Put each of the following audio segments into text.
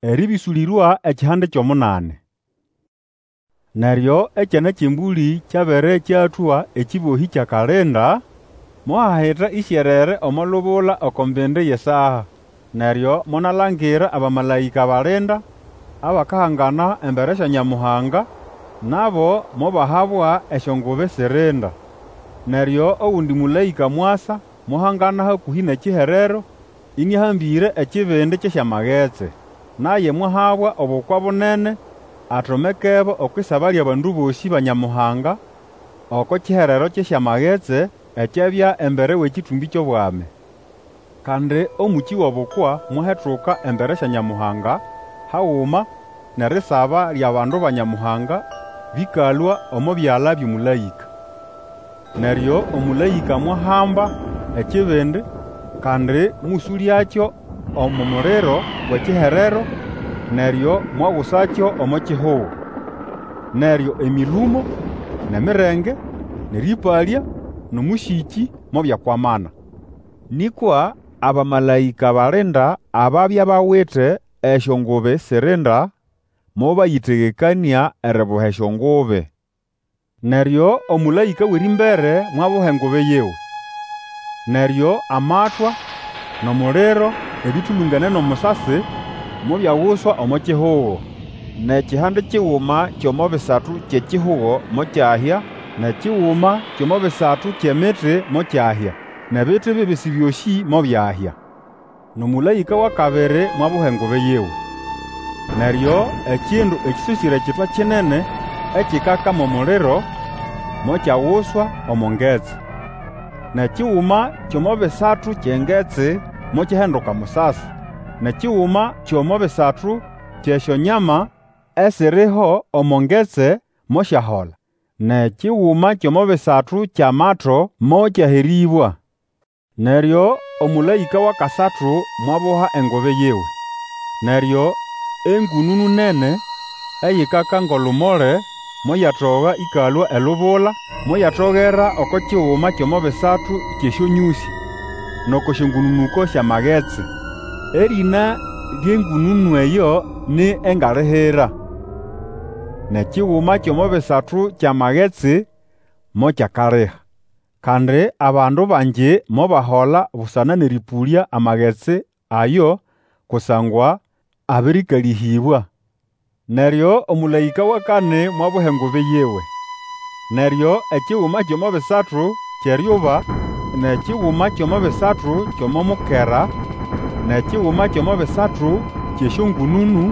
Erĩbĩsũlĩrwa ekihande ky'omunani. Neryo Ekyana ky'Embũlĩ kyabere kyatũa ekĩbohĩ ky'akalinda, mohahita ĩsyerere omo lubula oko mbindi y'esaa. Neryo monalangira abamalaĩka balinda abakahangana embere sya Nyamuhanga, nabo mobahabwa esyongubi sirinda. Neryo ogundi mũlaĩka mwasa mwahangana hakũhĩ n'ekiherero, ĩnĩahambĩre ekibindi ky'esyamagetsi. Naye mwahabwa obukwa bunene atomekebo okw'isaba ly'abandu bosĩ ba Nyamuhanga oko kiherero ky'esyamagetsi ekyabya embere w'ekĩtũmbĩ ky'obwami. Kandi omũkĩ w'obukwa mwahetuka embere sya Nyamuhanga haguma n'erisaba ly'abandu ba Nyamuhanga bĩkalũa omo byala by'omũlaĩka. Neryo omũlaĩka mwahamba ekibindi, kandi mũsũlyakyo omo muliro w'ekiherero, neryo mwagusakyo omo kihugo. Neryo emĩlũmo, n'emirenge, n'erĩpalya, n'omũsĩkĩ mobyakwamana. Nĩkwa abamalaĩka balinda ababya bawite esyongubi sirinda, mobayĩtegekanĩa eribuha esyongubi. Neryo omũlaĩka w'erĩmbere mwabuha engubi yiwe. Neryo amatwa n'omuliro ebĩtũlũngene n'omusasi mobyaguswa omo kihugo. N'ekihande kiguma ky'omo bisatu ky'ekihugo mokyahya, n'ekiguma ky'omo bisatu ky'emiti mokyahya, n'ebiti bibisi byosĩ mobyahya. N'omũlaĩka w'akabiri mwabuha engubi yiwe. Neryo ekindu ekĩsosĩre kitwa kinene ekikaka m'omuliro, mokyaguswa omo ngetsi. N'ekiguma ky'omo bisatu ky'engetsi mokyahinduka musasi, n'ekiguma ky'omo bisatu ky'esyonyama esiriho omo ngetsi mosyahola, n'ekiguma ky'omo bisatu ky'amato mokyaherĩbwa. Neryo omũlaĩka w'akasatu mwabuha engubi yiwe. Neryo engũnũnũ nene eyikaka ng'olumole moyatoga ĩkalũa elubula, moyatogera oko kiguma ky'omo bisatu ky'esyonyũsĩ, n'oko syongũnũnũko sy'amagetsi. Erĩna ly'engũnũnũ eyo ni Engalihira. N'ekiguma ky'omo bisatu ky'amagetsi mokyakaliha. Kandi abandu bangi mobahola busana n'erĩpũlya amagetsi ayo, kusangwa abĩrĩkalĩhĩbwa. Neryo omũlaĩka w'akani mwabuha engubi yiwe. Neryo ekiguma ky'omo bisatu ky'eryuba, n'ekiguma ky'omo bisatu ky'omo mukera, n'ekiguma ky'omo bisatu ky'esyongũnũnũ,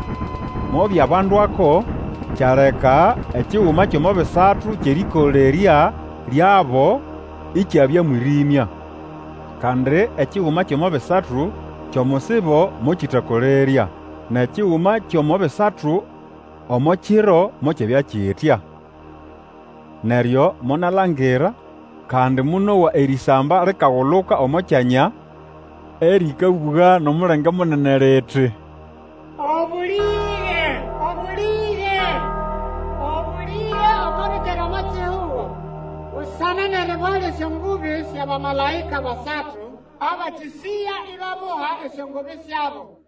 mobyabandwako, kyaleka ekiguma ky'omo bisatu ky'erĩkolerya lyabo ikyabya mwĩrĩmya. Kandi ekiguma ky'omo bisatu ky'omusibo mokĩtakolerya, n'ekiguma ky'omo bisatu omo kiro mokyabya kitya. Neryo monalangira, kandi monowa erĩsamba likaguluka omo kyanya, erĩkabũga n'omulenge munene liti, Obũlĩge, obũlĩge, obũlĩge oko bĩkere omo kihugo, busana n'eriboha ly'esyongubi sy'abamalaĩka basatu abakĩsĩya ibabuha esyongubi syabo.